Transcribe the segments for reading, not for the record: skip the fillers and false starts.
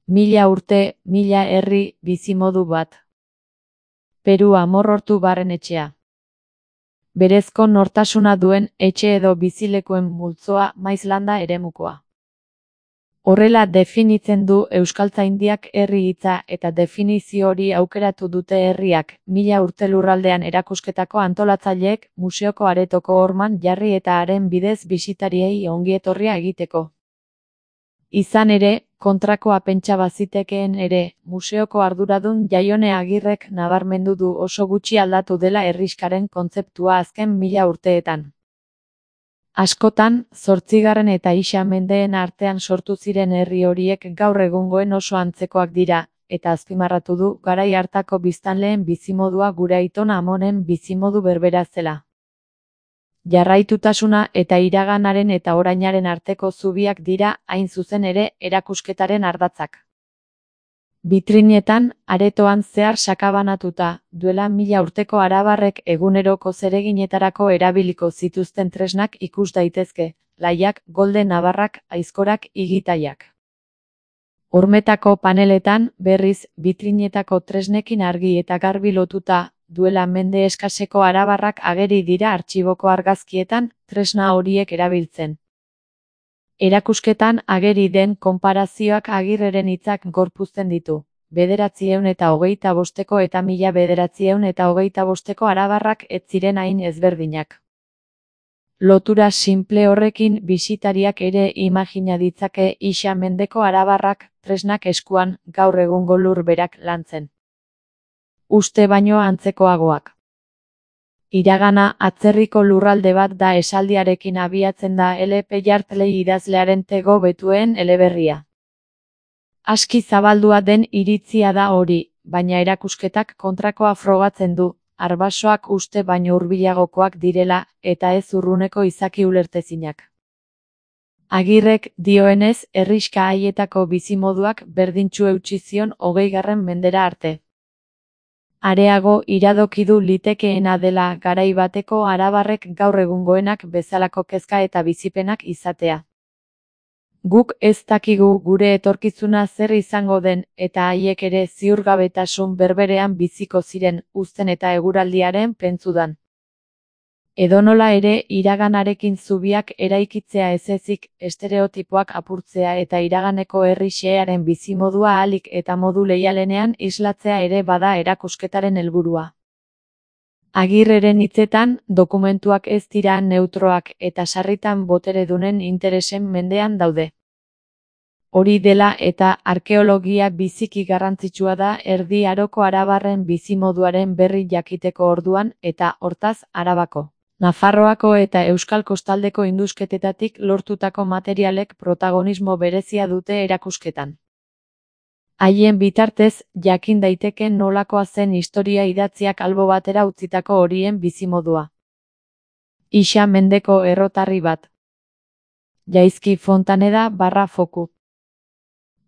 1000 urte, 1000 herri, bizimodu bat. Peru Amorortu barrenetxea. Berezko nortasuna duen etxe edo bizilekuen multzoa maiz landa eremukoa. Horrela definitzen du Euskaltzaindiak herri hitza eta definizio hori aukeratu dute herriak 1000 urte lurraldean erakusketako antolatzaileek museoko aretoko horman jarri eta haren bidez bisitariei ongietorria egiteko. Izan ere, kontrakoa pentsa bazitekeen ere, museoko arduradun Jaione Agirrek nabarmendu du oso gutxi aldatu dela herrixkaren kontzeptua azken 1000 urteetan. Askotan, 8. eta Ixa mendeen artean sortu ziren herri horiek gaur egungoen oso antzekoak dira, eta azpimarratu du garai hartako biztanleen bizimodua gure aiton amonen bizimodu berbera zela. Jarraitutasuna eta iraganaren eta orainaren arteko zubiak dira hain zuzen ere erakusketaren ardatzak. Bitrinetan, aretoan zehar sakabanatuta, duela 1000 urteko arabarrek eguneroko zereginetarako erabiliko zituzten tresnak ikus daitezke, laiak, golde nabarrak, aizkorak, igitaiak. Hormetako paneletan, berriz, bitrinetako tresnekin argi eta garbi lotuta, duela mende eskaseko arabarrak ageri dira artxiboko argazkietan, tresna horiek erabiltzen. Erakusketan ageri den konparazioak Agirreren hitzak gorpuzten ditu. 925 eta 1925 arabarrak ez ziren hain ezberdinak. Lotura simple horrekin bisitariak ere imagina ditzake Ixa mendeko arabarrak, tresnak eskuan, gaur egungo lurberak lantzen. Uste baino antzekoagoak. Iragana atzerriko lurralde bat da esaldiarekin abiatzen da L.P. Yardley idazlearen Tego betuen eleberria. Aski zabaldua den iritzia da hori, baina erakusketak kontrakoa frogatzen du, arbasoak uste baino hurbilagokoak direla, eta ez urruneko izaki ulertezinak. Agirrek dioenez herrixka haietako bizimoduak berdintsu eutsi zion 20. mendera arte. Areago iradokidu litekeena dela garai bateko arabarrek gaur egungoenak bezalako kezka eta bizipenak izatea. Guk ez dakigu gure etorkizuna zer izango den eta haiek ere ziurgabetasun berberean biziko ziren uzten eta eguraldiaren pentsudan. Edonola ere iraganarekin zubiak eraikitzea ezezik, estereotipoak apurtzea eta iraganeko herri xehearen bizimodua ahalik eta modu leialenean islatzea ere bada erakusketaren helburua. Agirreren hitzetan, dokumentuak ez dira neutroak eta sarritan boteredunen interesen mendean daude. Hori dela eta arkeologia biziki garrantzitsua da Erdi Aroko arabarren bizimoduaren berri jakiteko orduan eta, hortaz, Arabako, Nafarroako eta Euskal Kostaldeko indusketetatik lortutako materialek protagonismo berezia dute erakusketan. Haien bitartez, jakin daiteke nolakoa zen historia idatziak albo batera utzitako horien bizimodua. Ixa mendeko errotarri bat. Jaizki Fontaneda / foku.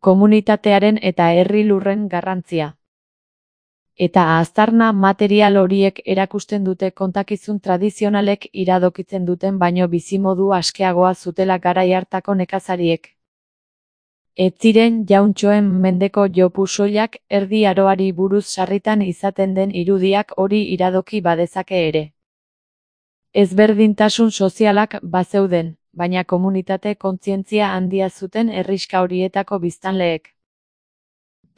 Komunitatearen eta herri lurren garrantzia. Eta aztarna material horiek erakusten dute kontakizun tradizionalek iradokitzen duten baino bizimodu askeagoa zutela garai hartako nekazariek. Ez ziren jauntxoen mendeko jopu soilak Erdi Aroari buruz sarritan izaten den irudiak hori iradoki badezake ere. Ezberdintasun sozialak bazeuden, baina komunitate kontzientzia handia zuten herrixka horietako biztanleek.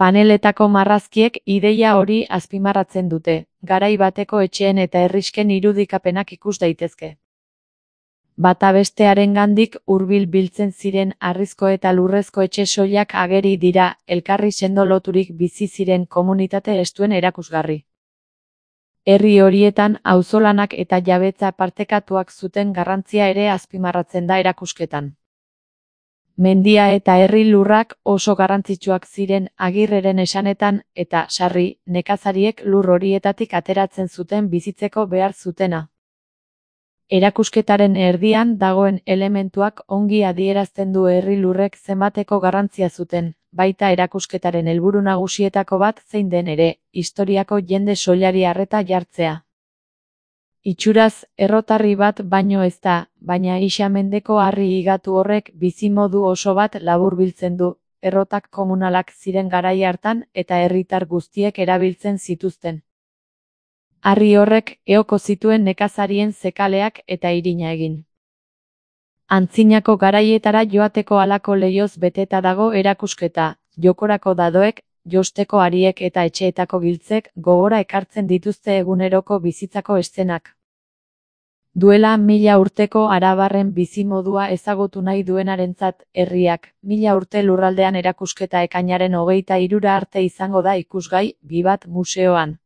Paneletako marrazkiek ideia hori azpimarratzen dute, garai bateko etxeen eta herrixken irudikapenak ikus daitezke. Bata bestearengandik hurbil biltzen ziren harrizko eta lurrezko etxe soilak ageri dira, elkarri sendo loturik bizi ziren komunitate estuen erakusgarri. Herri horietan auzolanak eta jabetza partekatuak zuten garrantzia ere azpimarratzen da erakusketan. Mendia eta herri lurrak oso garrantzitsuak ziren Agirreren esanetan eta, sarri, nekazariek lur horietatik ateratzen zuten bizitzeko behar zutena. Erakusketaren erdian dagoen elementuak ongi adierazten du herri lurrek zenbateko garrantzia zuten, baita erakusketaren helburu nagusietako bat zein den ere, historiako jende soilari arreta jartzea. Itxuraz, errotarri bat baino ez da, baina Ixa mendeko harri higatu horrek bizimodu oso bat laburbiltzen du, errotak komunalak ziren garai hartan eta herritar guztiek erabiltzen zituzten. Harri horrek eoko zituen nekazarien zekaleak eta irina egin. Antzinako garaietara joateko halako leihoz beteta dago erakusketa, jokorako dadoek, josteko hariek eta etxeetako giltzek gogora ekartzen dituzte eguneroko bizitzako eszenak. Duela 1000 urteko arabarren bizimodua ezagutu nahi duenarentzat, herriak, 1000 urte lurraldean erakusketa ekainaren 23 arte izango da ikusgai, Bibat museoan.